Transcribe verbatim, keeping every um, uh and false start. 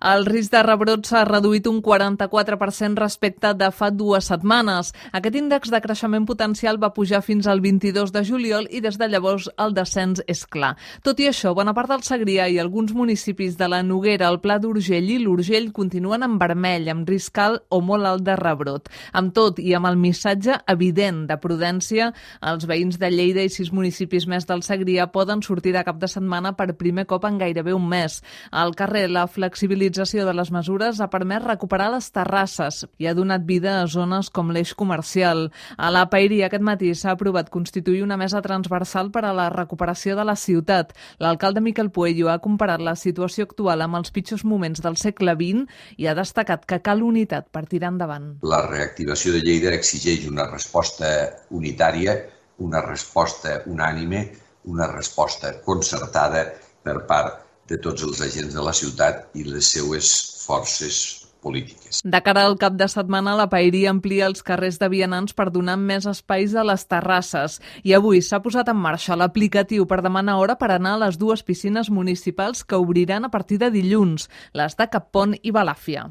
El risc de rebrot s'ha reduït un quaranta-quatre per cent respecte de fa dues setmanes. Aquest índex de creixement potencial va pujar fins al vint-i-dos de juliol i des de llavors el descens és clar. Tot i això, bona part del Segrià i alguns municipis de la Noguera, el Pla d'Urgell i l'Urgell continuen en vermell, amb risc alt o molt alt de rebrot. Amb tot i amb el missatge evident de prudència, els veïns de Lleida i sis municipis més del Segrià poden sortir de cap de setmana per primer cop en gairebé un mes. Al carrer, la flexibilitat de les mesures ha permès recuperar les terrasses i ha donat vida a zones com l'eix comercial. A la Paeria aquest matí s'ha aprovat constituir una mesa transversal per a la recuperació de la ciutat. L'alcalde Miquel Puello ha comparat la situació actual amb els pitjors moments del segle vint i ha destacat que cal unitat per tirar endavant. La reactivació de Lleida exigeix una resposta unitària, una resposta unànime, una resposta concertada per part de tots els agents de la ciutat i les seues forces polítiques. De cara al cap de setmana, la Paeria amplia els carrers de vianants per donar més espais a les terrasses. I avui s'ha posat en marxa l'aplicatiu per demanar hora per anar a les dues piscines municipals que obriran a partir de dilluns, les de Cap Pont i Balàfia.